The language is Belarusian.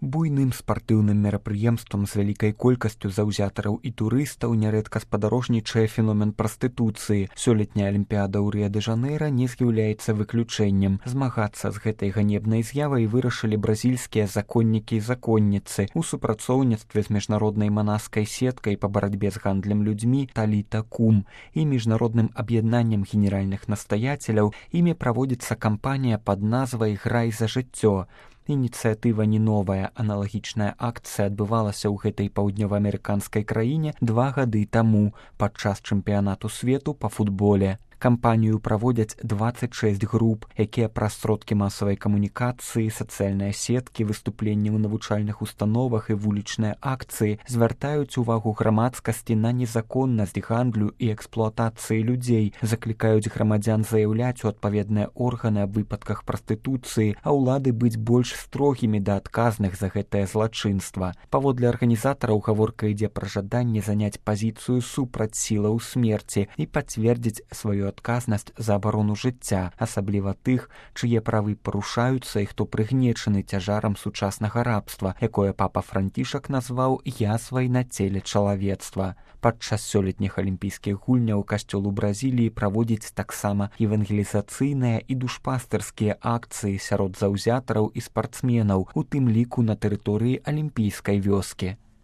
Буйным спартыўным мерапрыемствам з вялікай колькасцю заўзятараў і турыстаў нярэдка спадарожнічае феномен прастытуцыі. Сёлетняя алімпіяда ў Рыа-дэ-Жанэйра не з'яўляецца выключэннем. Змагацца з гэтай ганебнай з'явай вырашылі бразільскія законнікі і законніцы у супрацоўніцтве з міжнароднай манаскай сеткай па барацьбе з гандлем людзьмі Таліта Кум і міжнародным аб'яднаннем генеральных настаяцеляў. Імі праводзіцца кампанія пад назвай «Грай за жыццё». Ініцыятыва не новая, аналагічная акцыя адбывалася ў гэтай паўднёваамерыканскай краіне 2 гады таму падчас чэмпіянату свету па футболе. Кампанію праводзяць 26 груп, якія праз сродкі масавай камунікацыі, сацыяльныя сеткі, выступленні ў навучальных установах і вулічныя акцыі звяртаюць увагу грамадскасці на незаконнасць гандлю і эксплуатацыі людзей, заклікаюць грамадзян заяўляць у адпаведныя органы аб выпадках прастытуцыі, а ўлады быць больш строгімі да адказных за гэтае злачынства. Паводле арганізатараў гаворка ідзе пра жаданне заняць пазіцыю супраць сілаў смерці і пацвердзіць сваю адказнасць за абарону жыцця, асабліва тых, чые правы парушаюцца і хто прыгнечаны цяжарам сучаснага рабства, якое папа Францішак назваў язвай на целе чалавецтва. Падчас сёлетніх алімпійскіх гульняў касцёл у Бразіліі праводзіць таксама евангелізацыйныя і душпастырскія акцыі сярод заўзятараў і спартсменаў, у тым ліку на тэрыторыі алімпійскай вёскі.